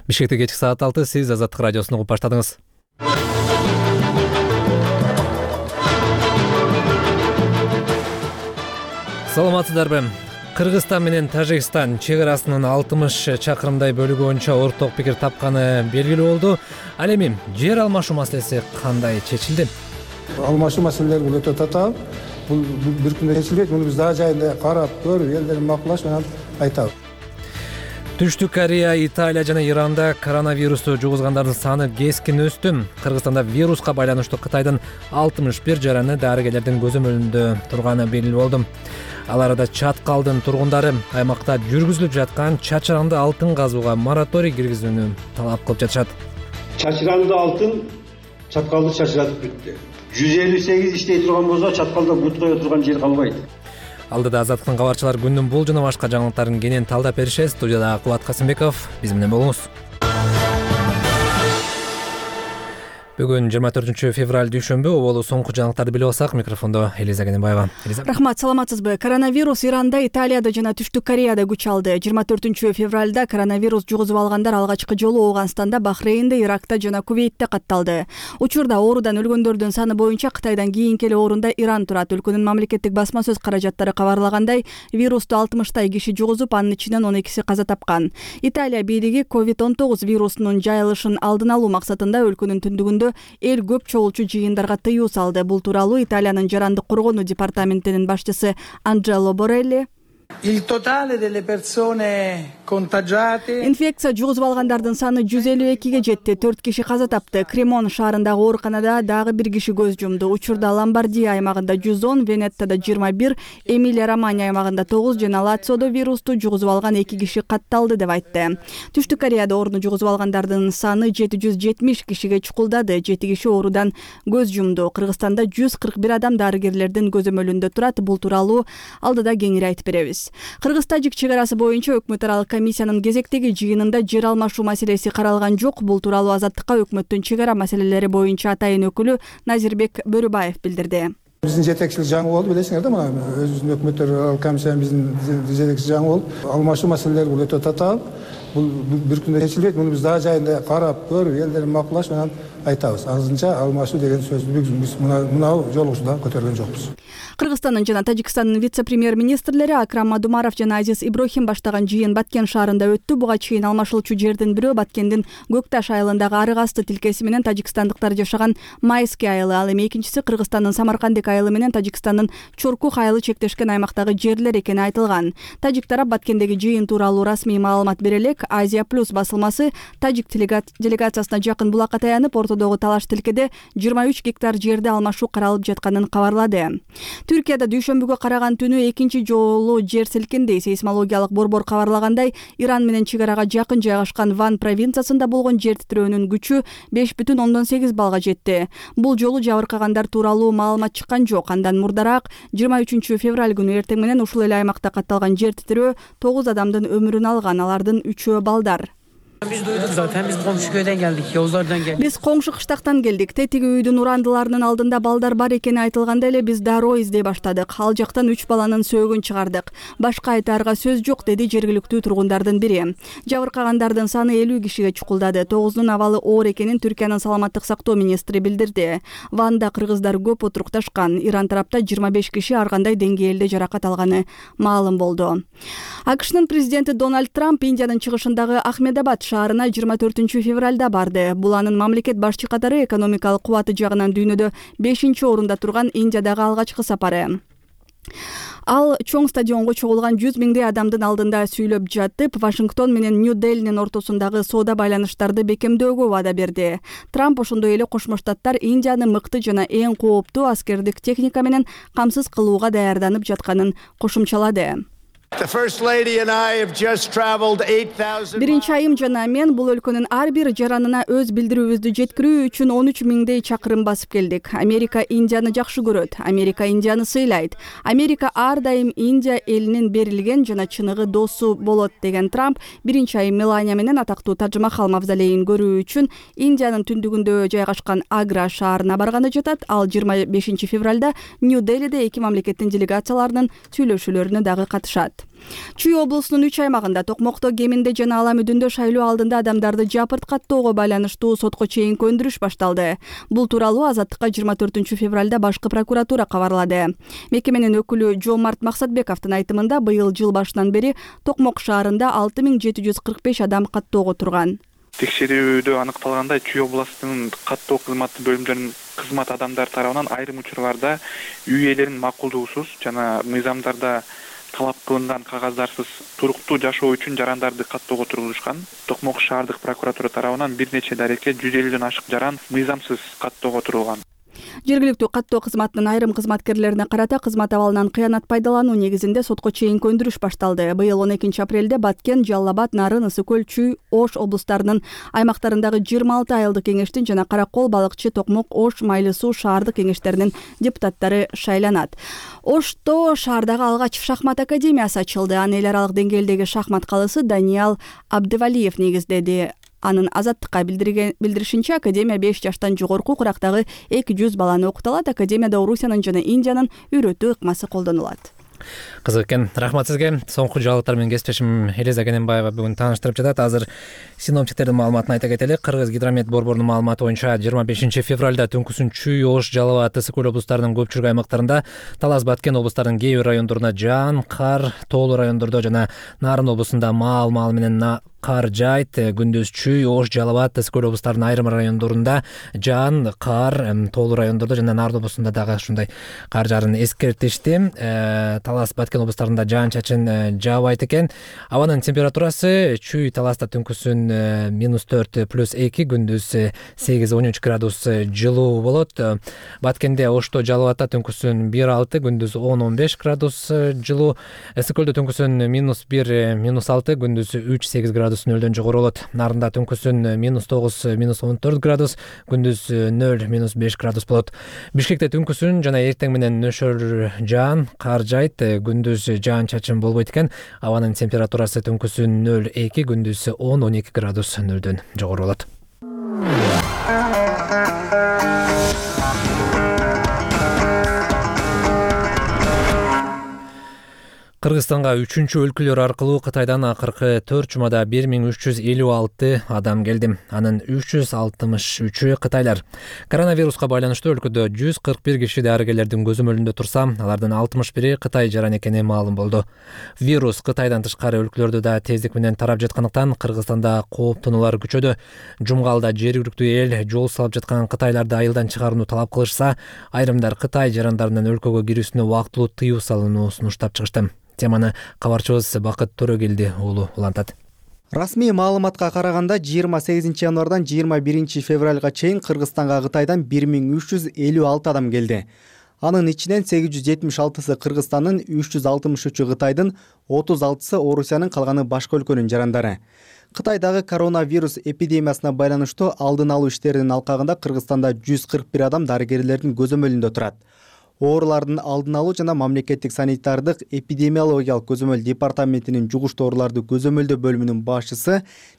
Бишкекте кечки саат 6. Сиз Азаттык радиосун угуп баштадыңыз. Саламатсыздарбы? Кыргызстан менен Тажикстан чек арасынын 60 чакырымдай бөлүгү боюнча орток пикир тапканы белгилүү болду. Ал эми жер алмашуу маселеси кандай чечилди? Алмашуу маселелери бул өтө татаал. Бул бир күндө чечилбейт. Муну биз дагы жайында карап, көрүп, элдердин макулдаш менен айтабыз. Түштүк Корея, Италия жана Иранда коронавирусту жугузгандардын саны кескин өстү. Кыргызстанда вируска байланыштуу Кытайдын 61 жараны дарыгерлердин көзөмөлүндө турганы белгилүү болду. Ал арада Чаткалдын тургундары аймакта жүргүзүлүп жаткан чачыранды алтын казууга мораторий киргизүүнү талап кылып жатышат. Чачыранды алтын Чаткалды чачыратып бүттү. 158 иштей турган болсо Чаткалда бут кое турган жер калбайт. Алдыда Азаттыктын кабарчылар күндүн бул жана башка жаңылыктарын кенен талдап беришет. Студияда Кубат Касымбеков, биз менен болуңуз. Бүгүн 24 февраль дүйшөмбү. Оболу соңку жаңылыктарды билип алсак, микрофондо Элиза Кененбаева. Рахмат, саламатсызбы? Коронавирус Иранда, Италияда жана Түштүк Кореяда күч алды. 24 февралда коронавирус жугузуп алгандар алгачкы жолу Ооганстанда, Бахрейнде, Иракта жана Кувейтте катталды. Учурда оорудан өлгөндөрдүн саны боюнча Кытайдан кийинки эле орунда Иран турат. Өлкөнүн мамлекеттик басма сөз каражаттары кабарлагандай, вирусту 60 киши жугузуп, анын ичинен 12 каза тапкан. Италия бийлиги COVID-19 вирусунун жайылышын алдын алуу максатында өлкөнүн түндүгүндө эл көп чогулчу жыйындарга тыюу салды. Бул тууралуу Италиянын жарандык коргонуу департаментинин башчысы Анджело Борелли Il totale delle persone contagiate. Инфекция жугузуп алгандардын саны 152 жетти. 4 киши каза тапты. Кремон шаарындагы ооруканада дагы 1 киши көз жумду. Учурда Ломбардия аймагында 110, Венеттада 21, Эмилия-Романья аймагында 9 жана Лациодо вирусту жугузуп алган 2 киши катталды деп айтты. Түштүк Кореяда ооруну жугузуп алгандардын саны 770 кишиге чукулдады. 7 киши оорудан көз жумду. Кыргызстанда 141 адам дарыгерлердин көзөмөлүндө турат. Бул тууралуу алдыда кеңири айтып беребиз. Кыргыз-Тажик чек арасы боюнча өкмөт аралык комиссиянын кезектеги жыйынында жер алмашуу маселеси каралган жок. Бул тууралуу Азаттыкка өкмөттүн чек ара маселелери боюнча атайын өкүлү Назирбек Бөрүбаев билдирди. Биздин жетекчилик жаңы болду, билесиңер да, мына өзүбүздүн өкмөттөр аралык комиссиянын биздин жетекчилик жаңы болду. Алмашуу маселелери бул өтө татаал. Бул бир күндө чечилбейт. Муну биз дагы жайында карап, көрүп, элдердин макулдаш менен айтабыз. Азырынча алмашуу деген сөздү биз мына жолугушуудан көтөргөн жокпуз. Кыргызстандын жана Тажикстандын вице-премьер-министрлери Акрам Мадумаров жана Азиз Иброхим баштаган жыйын Баткен шаарында өттү. Буга чейин алмашылчу жердин бирөө Баткендин Көкташ айылындагы Арык асты тилкеси менен тажикстандыктар жашаган Майский айылы, ал эми экинчиси Кыргызстандын Самаркандек айылы менен Тажикстандын Чоркух айылы чектешкен аймактагы жерлер экени айтылган. Тажик тарап Баткендеги жыйын тууралуу расмий маалымат бере элек. Азия Плюс басылмасы тажик делегациясына жакын булакка таянып, ортодогу талаш тилкеде 23 гектар жерде алмашуу каралып жатканын кабарлады. Түркияда дүйшөмбүгө караган түнү экинчи жолу жер силкинди. Сейсмологиялык борбор кабарлагандай, Иран менен чек арага жакын жайгашкан Ван провинциясында болгон жер титирөөнүн күчү 5,8 балга жетти. Бул жолу жабыркагандар тууралуу маалымат чыккан жок. Андан мурдараак 23 февраль күнү эртең менен ушул эле аймакта катталган жер титирөө 9 адамдын өмүрүн алган. Алардын 3-өө балдар. Biz duyduk zaten, biz komşu köyden geldik, Yavuzlardan geldik. Биз коңшу кыштактан келдик. Тетиги үйдүн урандыларынын алдында балдар бар экени айтылганда эле биз дароо издей баштадык. Ал жактан 3 баланын сөөгүн чыгардык. Башка айтаарга сөз жок, деди жергиликтүү тургундардын бири. Жабыркагандардын саны 50 кишиге чукулдады. 9-дун абалы оор экенин Түркиянын саламаттык сактоо министри билдирди. Ванда кыргыздар көп отурукташкан. Иран тарапта 25 киши ар кандай деңгээлде жаракат алганы маалым болду. АКШнын президенти Дональд Трамп Индиянын чыгышындагы Ахмедабад шаарына 24 февралда барды. Бул анын мамлекет башчы катары экономикалык кубаты жагынан дүйнөдө 5-орунда турган Индиядагы алгачкы сапары. Ал чоң стадионго чогулган 100 миңдей адамдын алдында сүйлөп жатып, Вашингтон менен Нью-Делинин ортосундагы соода байланыштарды бекемдөөгө ваада берди. Трамп ошондой эле Кошмо Штаттар Индияны мыкты жана эң кооптуу аскердик техника менен камсыз кылууга даярданып жатканын кошумчалады. Биринчи айым жана мен бул өлкөнүн ар бир жаранына өз билдирүүбүздү жеткирүү үчүн 13 миңдей чакырым басып келдик. Америка Индияны жакшы көрөт. Америка Индияны сыйлайт. Америка ар дайым Индия элинин берилген жана чыныгы досу болот, деген Трамп биринчи айым Мелания менен атактуу Тадж-Махал мавзолейин көрүү үчүн Индиянын түндүгүндө жайгашкан Агра шаарына барганда жатат. Ал 25 февралда Нью-Делиде эки мамлекеттин делегацияларынын сүйлөшүүлөрүнө дагы катышат. айтылат. Чүй облусунун 3 аймагында токмокто кеминде жана ала мүдүндө шайлоо алдында адамдарды жапырт каттоого байланыштуу сотко чейинки өндүрүш башталды. Бул тууралуу Азаттыкка 24 февралда башкы прокуратура кабарлады. Мекеменин өкүлү Жомарт Максатбековдун айтымында быйыл жыл башынан бери Токмок шаарында 6745 адам каттоого турган. Текшерүүдө аныкталгандай, Чүй областынын каттоо кызматы бөлүмдөрүнүн кызмат адамдары тарабынан айрым учурларда үй ээлеринин макулдугусуз жана мыйзамдарда талап кылынган кагаздарсыз туруктуу жашоо үчүн жарандарды каттоого тургузушкан. Токмок шаардык прокуратура тарабынан бир нече дарекет 150ден ашык жаран мыйзамсыз каттоого турулган. Жергиликтүү каттоо кызматынын айрым кызматкерлерине карата кызмат абалынан кыянат пайдалануу негизинде сотко чейинки өндүрүш башталды. Быйыл 12 апрелде Баткен, Жалал Абад, Нарын, Ысык көл, Чүй, Ош облустарынын аймактарындагы 26 айылдык кеңештин жана Каракол, Балыкчы, Токмок, Ош, Майлы Суу шаардык кеңештеринин депутаттары шайланат. Ошто шаардагы алгач шахмат академиясы ачылды. Аны эл аралык деңгээлдеги шахмат калысы Даниал Абдывалиев негиздеди. Анын Азаттыкка билдиришинче, академия 5 жаштан жогорку курактагы 200 баланы окуталат. Академияда Орусиянын жана Индиянын үйрөтүү ыкмасы колдонулат. Кызык экен. Рахмат сизге. Соңку жаңылыктар менен кесиптешим Элиза Кененбаева бүгүн тааныштырып жатат. Азыр синоптиктердин маалыматын айта кетели. Кыргыз гидромет борборунун маалыматы боюнча 25 февралда түнкүсүн Чүй, Ош, Жалал Абад, Ысык көл облустарынын көпчүлүк аймактарында, Талас, Баткен облустарынын кээ бир райондорунда жаан, кар, тоолуу райондордо жана Нарын облусунда маал менен кар жайт. Күндүз Чүй, Ош, Жалал Абад, Ысык көл облустарынын айрым райондорунда жаан, кар, тоолуу райондордо жана Нарын облусунда дагы ушундай кар жаарын эскертишти. Талас, Баткен облустарында жаан-чачын жаабайт экен. Абанын температурасы Чүй, Таласта түнкүсүн -4 +2, күндүз 8-13 градус жылуу болот. Баткенде, Ошто, Жалал Абадта түнкүсүн 1-6, күндүз 10-15 градус жылуу. Ысык көлдө түнкүсүн -1, -6, күндүз 3-8 градус нөлдөн жогору болот. Нарында түнкүсүн -9, -14 градус, күндүз 0, -5 градус болот. Бишкекте түнкүсүн жана эртең менен нөшөр жаан, кар жайт, күндүз жаан-чачын болбойт экен. Абанын температурасы түнкүсүн 0-2, күндүз 10-12 градус нөлдөн жогору болот. Кыргызстанга 3-чү өлкөлөр аркылуу Кытайдан акыркы 4 жумада 1356 адам келди. Анын 363-ü кытайлар. Коронавируска байланыштуу өлкөдө 141 киши дарыгерлердин көзөмөлүндө турса, алардын 61-и Кытай жаран экени маалым болду. Вирус Кытайдан тышкары өлкөлөрдө да тездик менен тарап жаткандыктан Кыргызстанда кооптонуулар күчөдү. Жумгалда жергиликтүү эл жол салып жаткан кытайларды айылдан чыгарууну талап кылышса, айрымдар Кытай жарандарынын өлкөгө кирүүсүнө убактылуу тыюу салууну сунуштап чыгышты. Теманы кабарчыбыз Бакыт Төрөгелди уулу улантат. Расмий маалыматка караганда 28 январдан 21 февралга чейин Кыргызстанга Кытайдан 1356 адам келди. Анын ичинен 876сы Кыргызстандын, 363-ü Кытайдын, 36сы Орусиянын, калганы башка өлкөнүн жарандары. Кытайдагы коронавирус эпидемиясына байланыштуу алдын алуу иштеринин алкагында Кыргызстанда 141 адам дарыгерлердин көзөмөлүндө турат. Оорулардын алдын алуу жана мамлекеттик санитардык эпидемиологиялык көзөмөл департаментинин жугуштуу ооруларды көзөмөлдөө бөлүмүнүн башчысы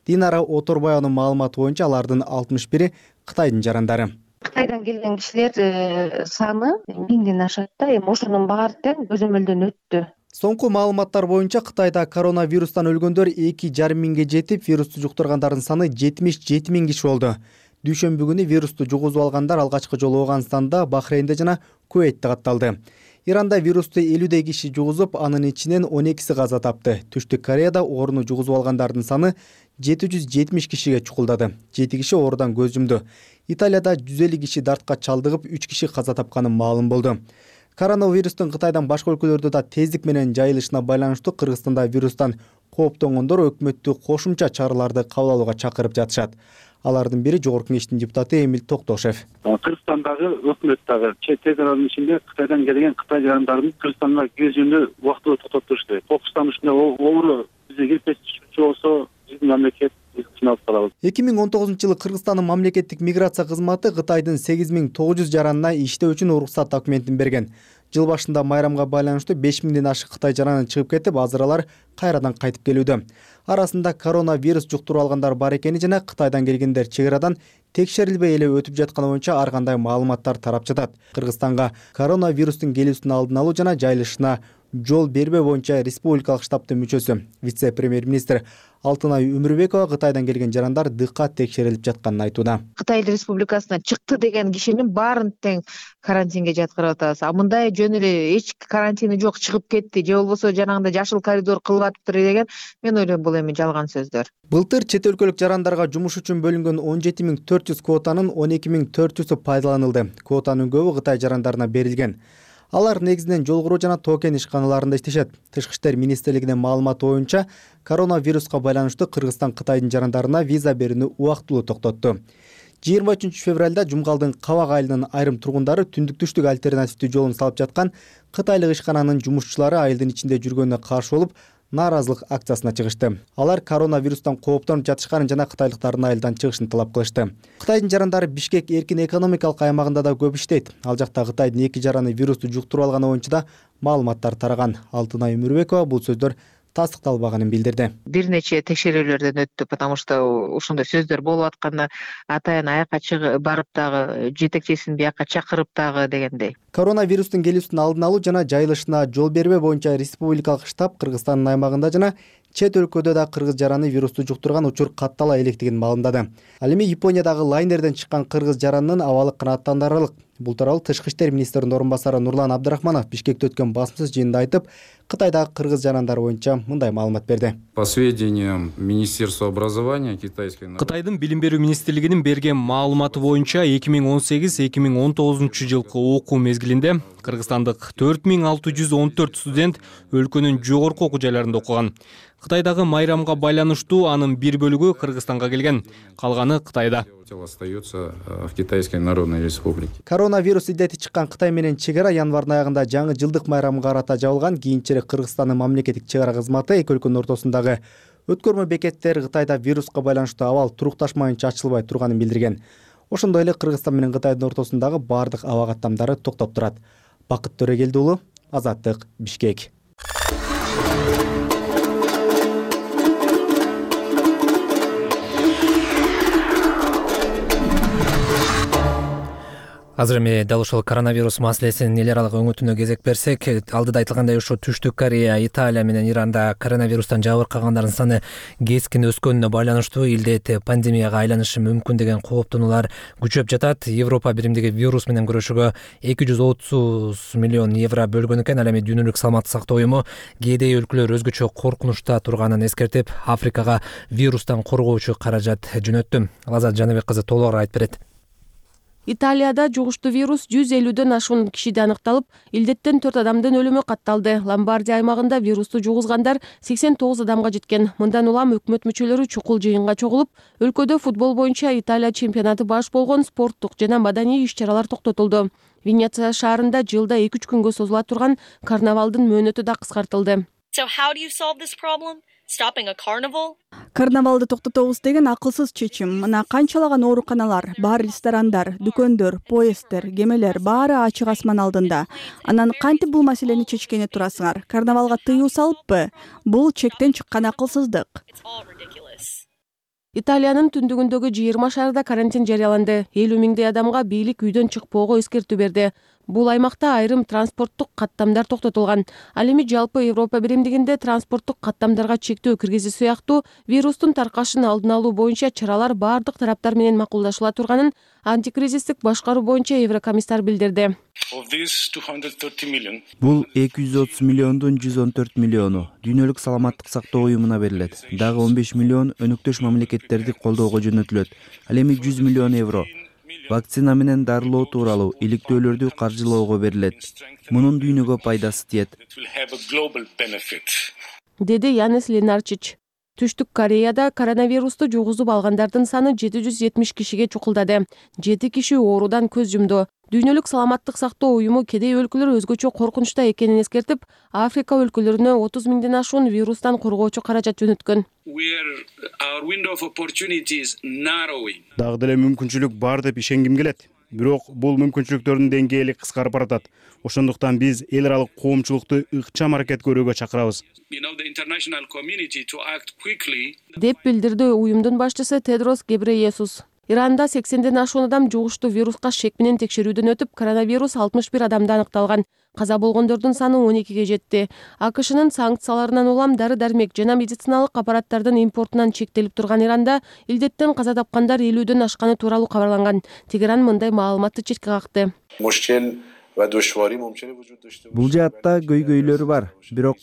Динара Оторбаеванын маалыматы боюнча алардын 61-и Кытайдын жарандары. Кытайдан келген кишилер саны 1000ден ашат да, эми ошонун баары тең көзөмөлдөн өттү. Соңку маалыматтар боюнча Кытайда коронавирустан өлгөндөр 2,5 миңге жетип, вирусту жуктургандардын саны 77 миң киши болду. Дүйшөмбү күнү вирусту жугузуп алгандар алгачкы жолу Ооганстанда, Бахрейнде жана Куweitте катталды. Иранда вирусту 50 киши жугузуп, анын ичинен 12си каза тапты. Түштүк Кореяда ооруну жугузуп алгандардын саны 770 кишиге чукулдады. 7 киши оорудан көз жумду. Италияда 150 киши дартка чалдыгып, 3 киши каза тапканы маалым болду. Коронавирустун Кытайдан башка өлкөлөрдө да тездик менен жайылышына байланыштуу Кыргызстанда вирустан кооптонгондор өкмөттүк кошумча чараларды кабыл алууга чакырып жатышат. Алардын бири Жогорку Кеңештин депутаты Эмил Токтошев. Кыргызстандагы өкмөт дагы чет элдердин ичинде Кытайдан келген Кытай жарандарын Кыргызстанга кирүүнү убактылуу токтоттуруш керек. Кокустан ушундай оору бизге кирип кетчү болсо, биздин мамлекет сыналып калабыз. 2019-жылы Кыргызстандын мамлекеттик миграция кызматы Кытайдын 8900 жаранына иштөө үчүн уруксат документин берген. Жыл башында майрамга байланыштуу 5000ден ашык Кытай жараны чыгып кетип, азыр алар кайрадан кайтып келүүдө. Арасында коронавирус жуктуруп алгандар бар экени жана Кытайдан келгендер чек арадан текшерилбей эле өтүп жатканы боюнча ар кандай маалыматтар тарап жатат. Кыргызстанга коронавирустун келүүсүн алдын алуу жана жайылышына жол бербөө боюнча республикалык штабтын мүчөсү, вице-премьер-министр Алтынай Өмүрбекова Кытайдан келген жарандар дыкат текшерилип жатканын айтууда. Кытай Республикасына чыкты деген кишинин баарын тең карантинге жаткырып атабыз. А мындай жөн эле эч карантини жок чыгып кетти же болбосо жанагындай жашыл коридор кылып атыптыр деген мен ойлойм бул эми жалган сөздөр. Былтыр чет өлкөлүк жарандарга жумуш үчүн бөлүнгөн 17400 квотанын 12400-ü пайдаланылды. Квотанын көбү Кытай жарандарына берилген. Алар негизинен жол куруу жана токен ишканаларында иштешет. Тышкы иштер министрлигинин маалыматы боюнча, коронавируска байланыштуу Кыргызстан Кытайдын жарандарына виза берүүнү убактылуу токтотту. 23 февралда Жумгалдын Кабак айылынын айрым тургундары түндүк-түштүк альтернативдүү жолун салып жаткан кытайлык ишкананын жумушчулары айылдын ичинде жүргөнүнө каршы болуп, нааразылык акциясына чыгышты. Алар коронавирустан кооптонуп жатышканын жана кытайлыктардын айылдан чыгышын талап кылышты. Кытайдын жарандары Бишкек эркин экономикалык аймагында да көп иштейт. Ал жакта Кытайдын 2 жараны вирусту жуктуруп алганы боюнча да маалыматтар тараган. Алтынай Өмүрбекова бул сөздөр тастыкталбаганын билдирди. Бир нече текшерүүлөрдөн өттү, потому что ошондой сөздөр болуп атканда атайын аяка чыгып барып дагы жетекчисин бияка чакырып дагы дегендей. Коронавирустун келүүсүн алдын алуу жана жайылышына жол бербөө боюнча республикалык штаб Кыргызстандын аймагында жана чет өлкөдө да кыргыз жараны вирусту жуктурган учур каттала электигин маалымдады. Ал эми Япониядагы лайнерден чыккан кыргыз жаранынын абалы канааттандырарлык. Бул тууралуу Тышкы иштер министринин орун басары Нурлан Абдрахманов Бишкекте өткөн басмасыз жыйында айтып, Кытайдагы кыргыз жарандары боюнча мындай маалымат берди. По сведениям Министерства образования Кытайдын билим берүү министрлигинин берген маалыматы боюнча 2018-2019 жылкы окуу мезгилинде кыргызстандык 4614 студент өлкөнүн жогорку окуу жайларында окуган. Кытайдагы майрамга байланыштуу анын бир бөлүгү Кыргызстанга келген, калганы Кытайда. Остается в Китайской Народной Республике. Коронавирус илдети чыккан Кытай менен чек ара январдын аягында жаңы жылдык майрамга карата жабылган. Кийинчерээк Кыргызстандын мамлекеттик чек ара кызматы эки өлкөнүн ортосундагы өткөрмө бекеттер Кытайда вируска байланыштуу абал турукташмайынча ачылбай турганын билдирген. Ошондой эле Кыргызстан менен Кытайдын ортосундагы бардык аба каттамдары токтоп турат. Бакыт Төрөгелди уулу, Азаттык, Бишкек. Азыр эми дал ошол коронавирус маселесинин эл аралык өңүтүнө кезек берсек, алдыда айтылгандай ушу Түштүк Корея, Италия менен Иранда коронавирустан жабыркагандардын саны кескин өскөнүнө байланыштуу илдет пандемияга айланышы мүмкүн деген кооптонуулар күчөп жатат. Европа биримдиги вирус менен күрөшүүгө 230 миллион евро бөлгөн экен. Ал эми Дүйнөлүк саламаттык сактоо уюму кээде өлкөлөр өзгөчө коркунучта турганын эскертип, Африкага вирустан коргоочу каражат жөнөттү. Лазат Жаныбек кызы толугураак айтып берет. Италияда жугуштуу вирус 150дөн ашуун кишиде аныкталып, илдеттен 4 адамдын өлүмү катталды. Ломбардия аймагында вирусту жугузгандар 89 адамга жеткен. Мындан улам өкмөт мүчөлөрү чукул жыйынга чогулуп, өлкөдө футбол боюнча Италия чемпионаты баш болгон спорттук жана маданий иш-чаралар токтотулду. Венеция шаарында жылда 2-3 күнгө созула турган карнавалдын мөөнөтү да кыскартылды. So how do you solve this problem? Stopping a carnival? Карнавалды токтотобуз деген акылсыз чечим. Мына канчалаган ооруканалар, бар ресторандар, дүкөндөр, поезддер, кемелер баары ачык асман алдында. Анан кантип бул маселени чечкени турасыңар? Карнавалга тыюу салыппы? Бул чектен чыккан акылсыздык. Италиянын түндүгүндөгү 20 шаарда карантин жарыяланды. 50 миңдей адамга бийлик үйдөн чыкпоого эскертүү берди. Бул аймакта айрым транспорттук каттамдар токтотулган. Ал эми жалпы Европа биримдигинде транспорттук каттамдарга чектөө киргизүү сыяктуу вирустун таркашын алдын алуу боюнча чаралар бардык тараптар менен макулдашыла турганын антикризистик башкаруу боюнча Еврокомиссар билдирди. Бул 230 миллиондун 114 миллиону Дүйнөлүк саламаттык сактоо уюмуна берилет. Дагы 15 миллион өнөктөш мамлекеттерди колдоого жөнөтүлөт. Ал эми 100 миллион евро вакцина менен дарылоо тууралуу иликтөөлөрдү каржылоого берилет. Мунун дүйнөгө пайдасы тиет, деди Янис Ленарчич. Түштүк Кореяда коронавирусту жугузуп алгандардын саны 770 кишиге чукулдады. 7 киши оорудан көз жумду. Дүйнөлүк саламаттык сактоо уюму кедей өлкөлөр өзгөчө коркунучта экенин эскертип, Африка өлкөлөрүнө 30 миңден ашуун вирустан коргоочу каражат жөнөткөн. Дагы деле мүмкүнчүлүк бар деп ишенгим келет. Бирок бул мүмкүнчүлүктөрдүн деңгээли кыскарып баратат. Ошондуктан биз эл аралык коомчулукту ыкчам аракет көрүүгө чакырабыз. Деп билдирди уюмдун башчысы Тедрос Гебрейесус. Иранда 80ден ашуун адам жугуштуу вируска шек менен текшерүүдөн өтүп, коронавирус 61 адамда аныкталган. Каза болгондордун саны 12ге жетти. АКШнын санкцияларынан улам дары-дармек жана медициналык аппараттардын импортунан чектелип турган Иранда илдеттен каза тапкандар 50дөн ашканы тууралуу кабарланган. Тегеран мындай маалыматты четке какты. Бул жаатта көйгөйлөр бар, бирок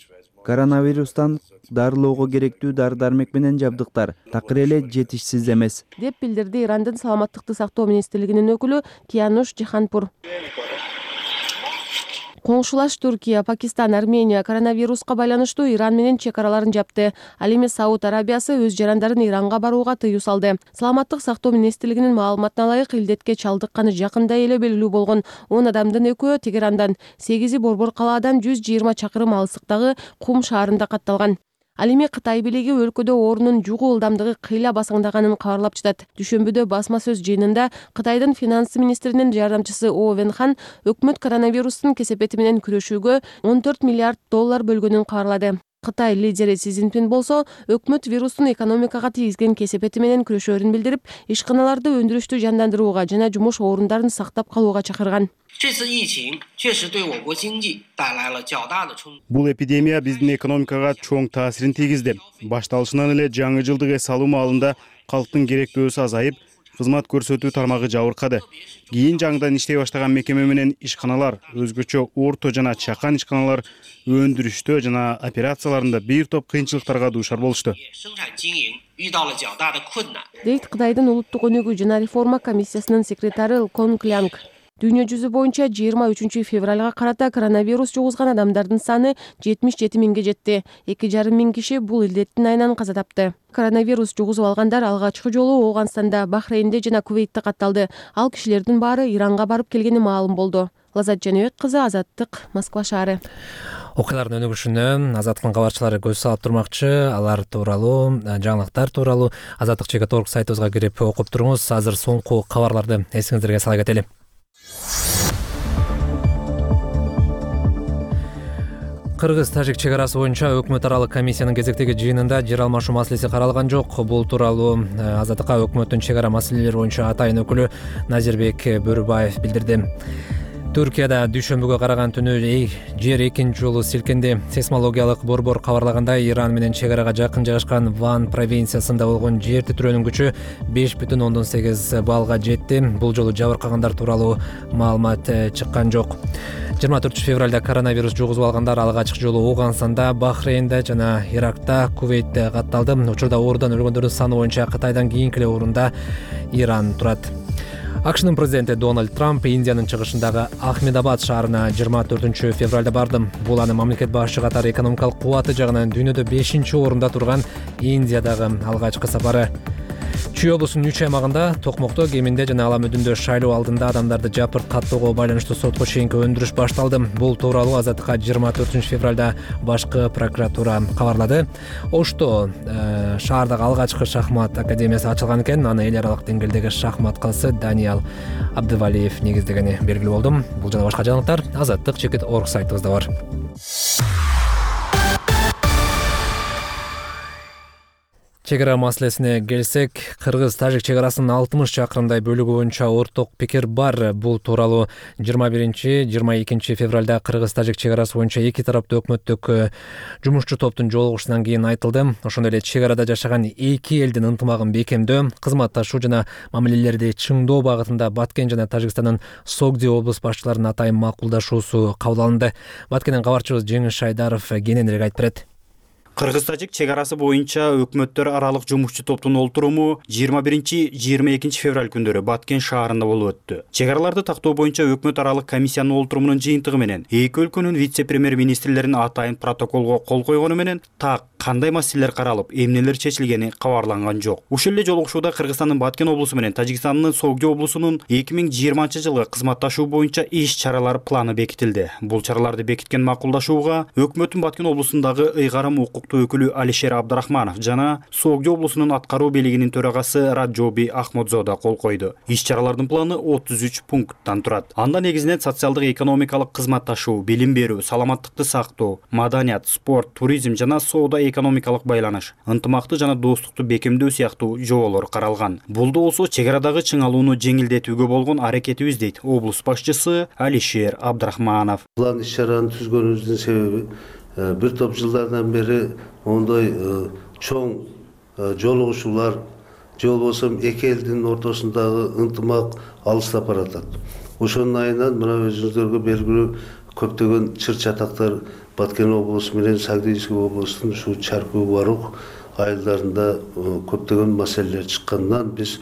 коронавирустан дарылоого керектүү дары-дармек менен жабдыктар такыр эле жетишсиз эмес, деп билдирди Ирандын саламаттыкты сактоо министрлигинин өкүлү Киянуш Жиханпур. Коңшулаш Туркия, Пакистан, Армения коронавируска байланыштуу Иран менен чек араларын жапты. Ал эми Сауд Арабиясы өз жарандарын Иранга барууга тыюу салды. Саламаттык сактоо министрлигинин маалыматына ылайык, илдетке чалдыкканы жакында эле белгилүү болгон 10 адамдын 2-өө Тегерандан, 8-и Борбор калаадан 120 чакырым алыстыктагы Кум шаарында катталган. Ал эми Кытай бийлиги өлкөдө оорунун жугуу ылдамдыгы кыйла басаңдаганын кабарлап жатат. Дүшөмбүдө басма сөз жыйынында Кытайдын финанс министринин жардамчысы О Венхан өкмөт коронавирустун кесепети менен күрөшүүгө 14 миллиард доллар бөлгөнүн кабарлады. Кытай лидери Си Цзиньпин болсо, өкмөт вирустун экономикага тийгизген кесепети менен күрөшөөрүн билдирип, ишканаларды өндүрүштү жандандырууга жана жумуш орундарын сактап калууга чакырган. Бул эпидемия биздин экономикага чоң таасирин тийгизди. Башталышынан эле жаңы жылдык эс алуу маалында калктын керектөөсү азайып, кызмат көрсөтүү тармагы жабыркады. Кийин жаңыдан иштей баштаган мекеме менен ишканалар, өзгөчө орто жана чакан ишканалар өндүрүштө жана операцияларында бир топ кыйынчылыктарга дуушар болушту. Дейт Кытайдын улуттук өнүгүү жана реформа комиссиясынын секретары Кон Клянг. Дүйнө жүзү боюнча 23 февралга карата коронавирус жугузган адамдардын саны 77 миңге жетти. 2,5 миң киши бул илдеттин айынан каза тапты. Коронавирус жугузуп алгандар алгачкы жолу Ооганстанда, Бахрейнде жана Кувейтте катталды. Ал кишилердин баары Иранга барып келгени маалым болду. Лазат Жаныбек кызы, Азаттык, Москва шаары. Окуялардын өнүгүшүнө Азаттыктын кабарчылары көз салып турмакчы. Алар тууралуу, жаңылыктар тууралуу azattik.org сайтыбызга кирип окуп туруңуз. Азыр соңку кабарларды эсиңиздерге сала кетели. Кыргыз-Тажик чек арасы боюнча өкмөт аралык комиссиянын кезектеги жыйынында жер алмашуу маселеси каралган жок. Бул тууралуу Азаттыкка өкмөттүн чек ара маселелери боюнча атайын өкүлү Назирбек Бөрүбаев билдирди. Түркияда дүйшөмбүгө караган түнү жер экинчи жолу силкинди. Сейсмологиялык борбор кабарлагандай, Иран менен чек арага жакын жайгашкан Ван провинциясында болгон жер титирөөнүн күчү 5,8 баллга жетти. Бул жолу жабыркагандар тууралуу маалымат чыккан жок. 24 февралда коронавирус жугузуп алгандар алгачкы жолу Ооганстанда, Бахрейнде жана Иракта, Кувейтте катталды. Учурда оорудан өлгөндөрдүн саны боюнча Кытайдан кийинки эле орунда Иран турат. АКШнын президенти Дональд Трамп Индиянын чыгышындагы Ахмедабад шаарына 24 февралда барды. Бул анын мамлекет башчы катары экономикалык кубаты жагынан дүйнөдө 5-орунда турган Индиядагы алгачкы сапары. Чүй облусунун 3 аймагында токмокто, кеминде жана ала мүдүндө шайлоо алдында адамдарды жапырт каттоого байланыштуу сотко чейинки өндүрүш башталды. Бул тууралуу Азаттыкка 24 февралда башкы прокуратура кабарлады. Ошто шаардагы алгачкы шахмат академиясы ачылган экен. Аны эл аралык деңгээлдеги шахмат кызы Даниал Абдывалиев негиздегени белгилүү болду. Бул жана башка жаңылыктар azattik.org сайтыбызда бар. Чек ара маселесине келсек, Кыргыз-Тажик чек арасынын 60 чакырымдай бөлүгү боюнча орток пикир бар. Бул тууралуу 21-22 февралда Кыргыз-Тажик чек арасы боюнча эки тараптуу өкмөттүк жумушчу топтун жолугушуунан кийин айтылды. Ошондой эле чек арада жашаган эки элдин ынтымагын бекемдөө, кызматташуу жана мамилелерди чыңдоо багытында Баткен жана Тажикстандын Согди облус башчыларынын атайын макулдашуусу кабыл алынды. Баткенден кабарчыбыз Жеңиш Шайдаров кененирээк айтып берет. Кыргыз-Тажик чек арасы боюнча өкмөттөр аралык жумушчу топтун олтуруму 21-22 февраль күндөрү Баткен шаарында болуп өттү. Чек араларды тактоо боюнча өкмөт аралык комиссиянын олтурумунун жыйынтыгы менен эки өлкөнүн вице-премьер-министрлерин атайын протоколго кол койгону менен так кандай маселелер каралып, эмнелер чечилгени кабарланган жок. Ушул эле жолугушууда Кыргызстандын Баткен облусу менен Тажикстандын Согди облусунун 2020-жылы кызматташуу боюнча иш-чаралар планы бекитилди. Бул чараларды бекиткен макулдашууга өкмөттүн Баткен облусундагы ыйгарым укук топту өкүлү Алишер Абдрахманов жана Согдо облусунун аткаруу бийлигинин төрагасы Раджоби Ахмодзода кол койду. Иш-чаралардын планы 33 пункттан турат. Анда негизинен социалдык экономикалык кызматташуу, билим берүү, саламаттыкты сактоо, маданият, спорт, туризм жана соода экономикалык байланыш, ынтымакты жана достукту бекемдөө сыяктуу жоболор каралган. Бул да болсо чек арадагы чыңалууну жеңилдетүүгө болгон аракетибиз дейт облус башчысы Алишер Абдрахманов. План иш-чараны түзгөнүбүздүн себеби бир топ жылдардан бери ондай чоң жолугушуулар же болбосо эки элдин ортосундагы ынтымак алыстап баратат. Ошонун айынан мына өзүңүздөргө белгилүү көптөгөн чыр-чатактар Баткен облусу менен Сагдыйский облустун ушу Чаркуу Барук айылдарында көптөгөн маселелер чыккандан биз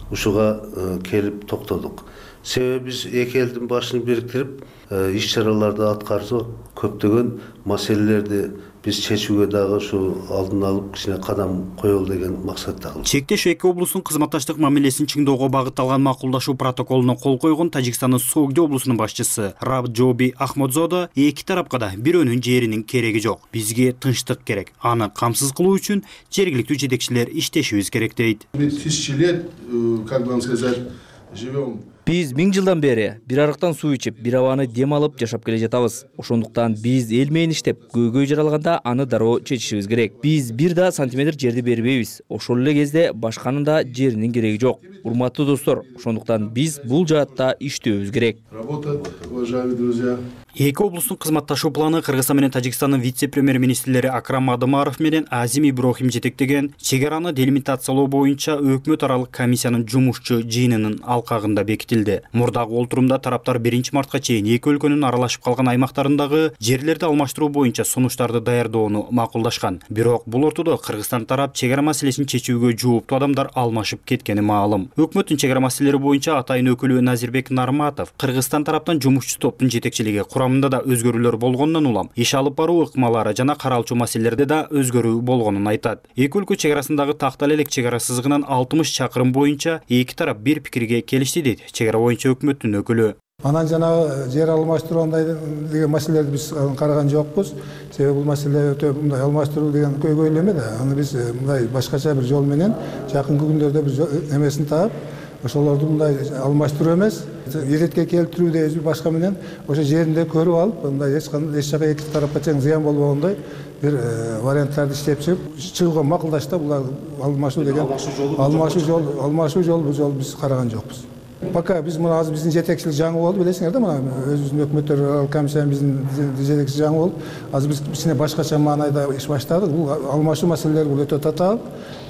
ушуга келип токтодук. Себеби биз эки элдин башын бириктирип иш-чараларды аткарсак көптөгөн маселелерди биз чечүүгө дагы ушу алдын алып кичине кадам коелу деген максатта. Чектеш эки облустун кызматташтык мамилесин чыңдоого багытталган макулдашуу протоколуна кол койгон Тажикстандын Согдо облусунун башчысы Раджоби Ахмодзода эки тарапка да бирөөнүн жеринин кереги жок. Бизге тынчтык керек. Аны камсыз кылуу үчүн жергиликтүү жетекчилер иштешибиз керек дейт. Биз 1000 жылдан бери бир арыктан суу ичип, бир абаны дем алып жашап келе жатабыз. Ошондуктан биз эл менен иштеп, көйгөй жаралганда аны дароо чечишибиз керек. Биз бир да сантиметр жерди бербейбиз. Ошол эле кезде башканын да жеринин кереги жок. Урматтуу достор, ошондуктан биз бул жаатта иштөөбүз керек. Эки облустун кызматташуу планы Кыргызстан менен Тажикстандын вице-премьер-министрлери Акрам Адымаров менен Азим Иброхим жетектеген чек араны делимитациялоо боюнча өкмөт аралык комиссиянын жумушчу жыйынынын алкагында бекитилди. Мурдагы олтурумда тараптар 1-мартка чейин эки өлкөнүн аралашып калган аймактарындагы жерлерди алмаштыруу боюнча сунуштарды даярдоону макулдашкан. Бирок бул ортодо Кыргызстан тарап чек ара маселесин чечүүгө жооптуу адамдар алмашып кеткени маалым. Өкмөттүн чек ара маселелери боюнча атайын өкүлү Назирбек Нарматов Кыргызстан тараптан жумушчу топтун жетекчилиги курамында да өзгөрүүлөр болгондон улам иш алып баруу ыкмалары жана каралчу маселелерде да өзгөрүү болгонун айтат. Эки өлкө чек арасындагы Тактал элек чек ара сызыгынан 60 чакырым боюнча эки тарап бир пикирге келишти дейт чек ара боюнча өкмөттүн өкүлү. Анан жанагы жер алмаштыруу андай деген маселелерди биз караган жокпуз. Себеби бул маселе өтө мындай алмаштыруу деген көйгөйлүү эмес да. Аны биз мындай башкача бир жол менен жакынкы күндөрдө бир эмесин таап, ошолорду мындай алмаштыруу эмес, иретке келтирүү дейбиз башка менен ошо жеринде көрүп алып, мындай эч жака эки тарапка тең зыян болбогондой бир варианттарды иштеп чыгууга макулдашты. Бул алмашуу деген алмашуу жол бул жол биз караган жокпуз. Пока биз мына азыр биздин жетекчилик жаңы болду, билесиңер да, мына өзүбүздүн өкмөттөр аралык комиссиянын биздин жетекчиси жаңы болуп, азыр биз кичине башкача маанайда иш баштадык. Бул алмашуу маселелери бул өтө татаал.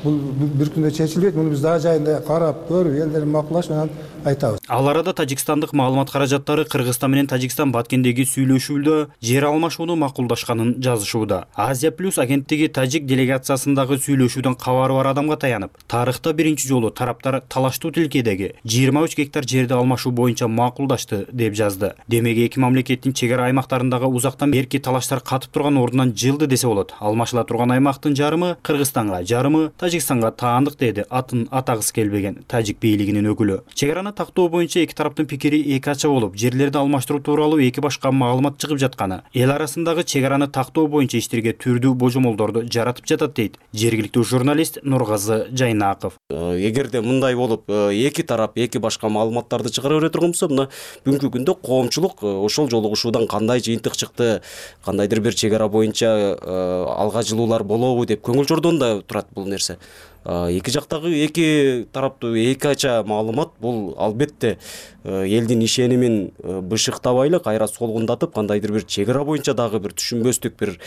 Бул бир күндө чечилбейт. Муну биз дагы жайында карап, көрүп, элдер макулдашып анан айтабыз. Ал арада тажикстандык маалымат каражаттары Кыргызстан менен Тажикстан Баткендеги сүйлөшүүдө жер алмашууну макулдашканын жазышууда. Азия плюс агенттиги тажик делегациясындагы сүйлөшүүдөн кабары бар адамга таянып, тарыхта биринчи жолу тараптар талаштуу тилкедеги 23 гектар жерди алмашуу боюнча макулдашты деп жазды. Демек эки мамлекеттин чек ара аймактарындагы узактан берки талаштар катып турган ордунан жылды десе болот. Алмашыла турган аймактын жарымы Кыргызстанга, жарымы Тажикстанга таандык деди атын атагысы келбеген тажик бийлигинин өкүлү. Чек араны тактоо боюнча эки тараптын пикири эки ача болуп, жерлерди алмаштыруу тууралуу эки башка маалымат чыгып жатканы, эл арасындагы чек араны тактоо боюнча иштерге түрдүү божомолдорду жаратып жатат дейт жергиликтүү журналист Нургазы Жайнаков. Эгерде мындай болуп, эки тарап эки башка маалыматтарды чыгара бере турган болсо, мына бүгүнкү күндө коомчулук ошол жолугушуудан кандай жыйынтык чыкты, кандайдыр бир чек ара боюнча алга жылуулар болобу деп көңүл жордонда турат бул нерсе. Эки жактагы эки тараптуу эки ача маалымат бул албетте элдин ишенимин бышыктабайлы кайра солгундатып, кандайдыр бир чек ара боюнча дагы бир түшүнбөстүк бир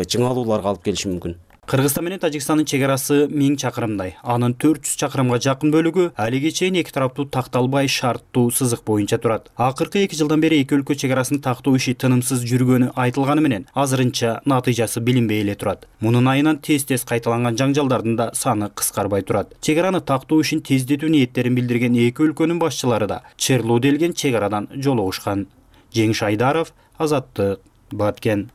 чыңалууларга алып келиши мүмкүн. Кыргызстан менен Тажикстандын чек арасы 1000 чакырымдай. Анын 400 чакырымга жакын бөлүгү алиге чейин эки тараптуу такталбай шарттуу сызык боюнча турат. Акыркы 2 жылдан бери эки өлкө чек арасын тактоо иши тынымсыз жүргөнү айтылганы менен азырынча натыйжасы билинбей эле турат. Мунун айынан тез-тез кайталанган жаңжалдардын да саны кыскарбай турат. Чек араны тактоо ишин тездетүү ниеттерин билдирген эки өлкөнүн башчылары да Черлуу делген чек арадан жолугушкан. Жеңиш Айдаров, Азаттык, Баткен.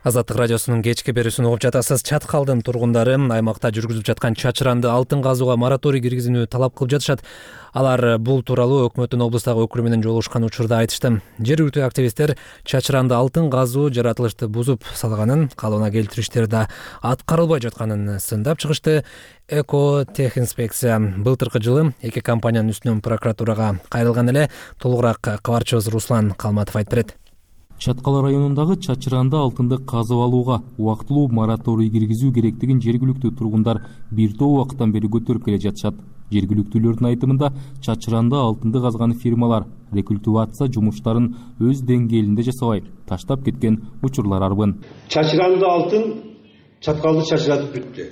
Азаттык радиосунун кечки берүүсүн угуп жатасыз. Чаткалдын тургундары аймакта жүргүзүлүп жаткан чачыранды алтын казууга мораторий киргизүүнү талап кылып жатышат. Алар бул тууралуу өкмөттүн облустагы өкүлү менен жолугушкан учурда айтышты. Жергиликтүү активисттер чачыранды алтын казуу жаратылышты бузуп салганын, калыбына келтириштер да аткарылбай жатканын сындап чыгышты. Экотехинспекция былтыркы жылы эки компаниянын үстүнөн прокуратурага кайрылган эле. Толугураак кабарчыбыз Руслан Калматов айтып берет. Чаткал районундагы чачыранды алтынды казып алууга убактылуу мораторий киргизүү керектигин жергиликтүү тургундар бир топ убакыттан бери көтөрүп келе жатышат. Жергиликтүүлөрдүн айтымында чачыранды алтынды казган фирмалар рекультивация жумуштарын өз деңгээлинде жасабай таштап кеткен учурлар арбын. Чачыранды алтын чаткалды чачыратып бүттү.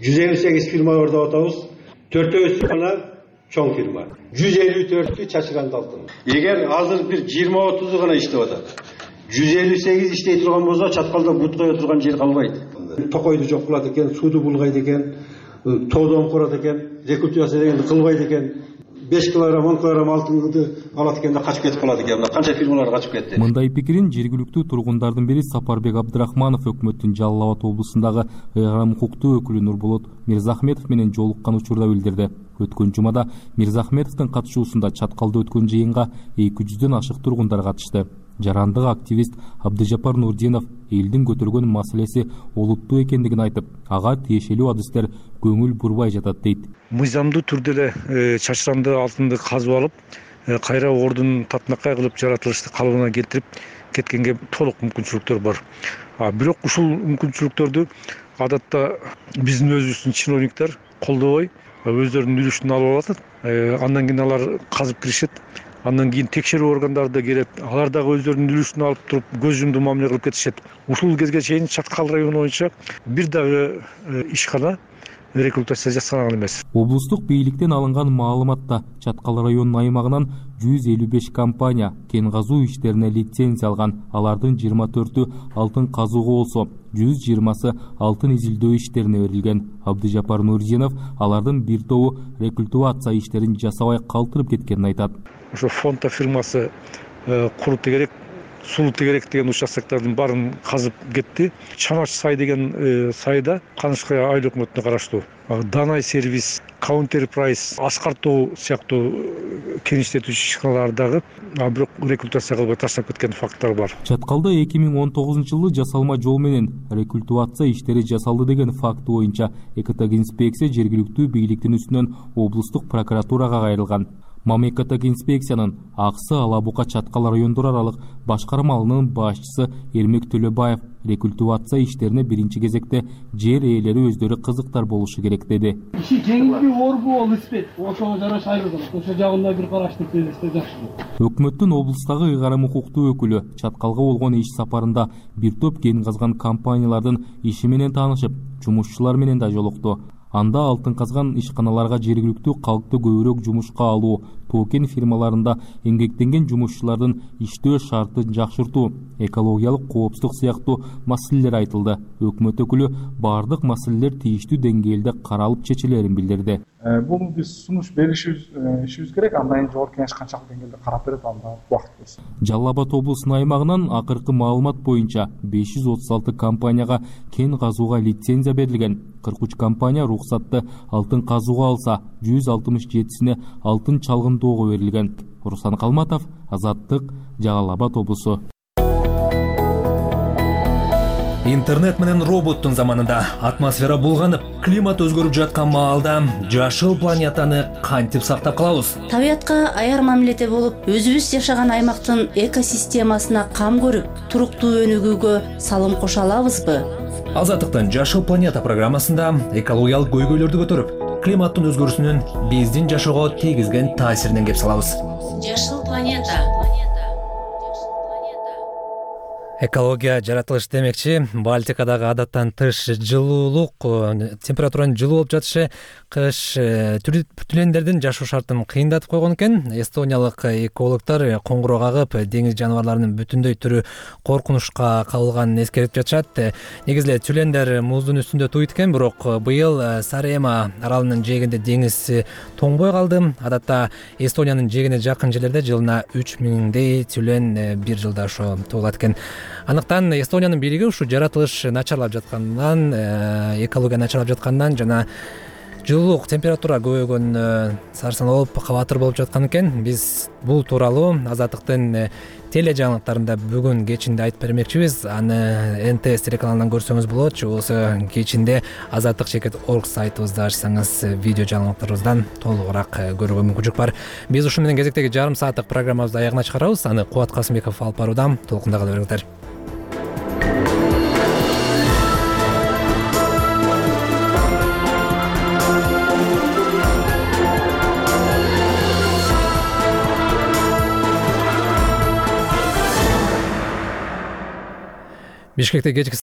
158 фирма бар деп атабыз. 4-өсү гана чоң фирма. 154 чачыранды алтын. Эгер азыр бир 20-30 гана иштеп атат. 158 иштей турган болсо чаткалда бут кое турган жер калбайт. Токойду жок кылат экен, сууду булгайт экен, тоодон корот экен, рекультивация дегенди кылбайт экен. 5 килограмм, 10 килограмм алтынды алат экен да качып кетип калат экен. Канча фирмалар качып кетти. Мындай пикирин жергиликтүү тургундардын бири Сапарбек Абдрахманов өкмөттүн Жалал Абад облусундагы ыйгарым укуктуу өкүлү Нурболот Мирзахметов менен жолуккан учурда билдирди. Өткөн жумада Мирзахметовдун катышуусунда чаткалда өткөн жыйынга 200дөн ашык тургундар катышты. Жарандык активист Абдыжапар Нурдинов элдин көтөргөн маселеси олуттуу экендигин айтып, ага тиешелүү адистер көңүл бурбай жатат дейт. Мыйзамдуу түрдө эле чачыранды алтынды казып алып, кайра ордун татынакай кылып жаратылышты калыбына келтирип кеткенге толук мүмкүнчүлүктөр бар. Бирок ушул мүмкүнчүлүктөрдү адатта биздин өзүбүздүн чиновниктер колдобой, өздөрүнүн үлүшүн алып алат. Андан кийин алар казып киришет. Андан кийин текшерүү органдары да келет. Алар дагы өздөрүнүн үлүшүн алып туруп көз жумду мамиле кылып кетишет. Ушул кезге чейин Чаткал району боюнча бир дагы ишкана рекультация жасалган эмес. Облустук бийликтен алынган маалыматта Чаткал районунун аймагынан 155 компания кен казуу иштерине лицензия алган. Алардын 24-ü алтын казууга болсо, 120сы алтын изилдөө иштерине берилген. Абдыжапар Нурдинов алардын бир тобу рекультивация иштерин жасабай калтырып кеткенин айтат. Ошо фонта фирмасы Куру тегерек, Сулуу тегерек деген участоктордун баарын казып кетти. Чамач сай деген сайда Канышкай айыл өкмөтүнө караштуу Данай сервис, Counter Price, Аскар тоо сыяктуу кен иштетүүчү ишканалардагы бирок рекультивация кылбай таштап кеткен факттар бар. Чаткалда 2019-жылы жасалма жол менен рекультивация иштери жасалды деген факты боюнча экотехинспекция жергиликтүү бийликтин үстүнөн облустук прокуратурага кайрылган. Экотехинспекциянын Аксы Ала Бука Чаткал райондор аралык башкармалынын башчысы Эрмек Төлөбаев рекультивация иштерине биринчи кезекте жер ээлери өздөрү кызыктар болушу керек деди. Иши жеңилби орбу ол испет. Ошого жараша айрылган. Ошо жагында бир караштык делесте жакшы. Өкмөттүн облустагы ыйгарым укуктуу өкүлү Чаткалга болгон иш сапарында бир топ кен казган компаниялардын иши менен таанышып, жумушчулар менен да жолукту. Анда алтын казган ишканаларга жергиликтүү калкты көбүрөөк жумушка алуу, тоо кен фирмаларында эмгектенген жумушчулардын иштөө шартын жакшыртуу, экологиялык коопсуздук сыяктуу маселелер айтылды. Өкмөт өкүлү бардык маселелер тийиштүү деңгээлде каралып чечилерин билдирди. Бул биз сунуш беришибиз керек. Андан жогорку кеңеш канчалык деңгээлде карап берет, анда убакыт болсун. Жалал Абад облусунун аймагынан акыркы маалымат боюнча 536 компанияга кен казууга лицензия берилген. 43 компания рухсатты алтын казууга алса, 167сине алтын чалгындоого берилген. Руслан Калматов, Азаттык, Жалал Абад облусу. Интернет менен роботтун заманында атмосфера булганып, климат өзгөрүп жаткан маалда жашыл планетаны кантип сактап калабыз? Табиятка аяр мамиледе болуп, өзүбүз жашаган аймактын экосистемасына кам көрүп, туруктуу өнүгүүгө салым кошо алабызбы? Азаттыктын Жашыл планета программасында экологиялык көйгөйлөрдү көтөрүп, климаттын өзгөрүүсүнүн биздин жашоого тийгизген таасиринен кеп салабыз. Жашыл планета. Экология жаратылыш демекчи, Балтикадагы адаттан тыш жылуулук, температуранын жылуу болуп жатышы кыш түлендердин жашоо шартын кыйындатып койгон экен. Эстониялык экологдор коңгуроо кагып, деңиз жаныбарларынын бүтүндөй түрү коркунучка кабылганын эскертип жатышат. Негизи эле түлендер муздун үстүндө туйт экен, бирок быйыл Сарема аралынын жээгинде деңиз тоңбой калды. Адатта Эстониянын жээгине жакын жерлерде жылына 3000дей түлен бир жылда ошо туулат экен. Андыктан Эстониянын бийлиги ушу жаратылыш начарлап жаткандан, экология начарлап жаткандан жана жылуулук температура көбөйгөнүнө сарсанаа кабатыр болуп жаткан экен. Биз бул тууралуу Азаттыктын теле жаңылыктарында бүгүн кечинде айтып бермекчибиз. Аны НТС телеканалынан көрсөңүз болот. Же болбосо кечинде azаттык.org сайтыбызда ачсаңыз видео жаңылыктарыбыздан толугураак көрүүгө мүмкүнчүлүк бар. Биз ушу менен кезектеги жарым сааттык программабызды аягына чыгарабыз. Аны Кубат Касымбеков алып баруудам. Толкунда кала бериңиздер. Бишкекте кечки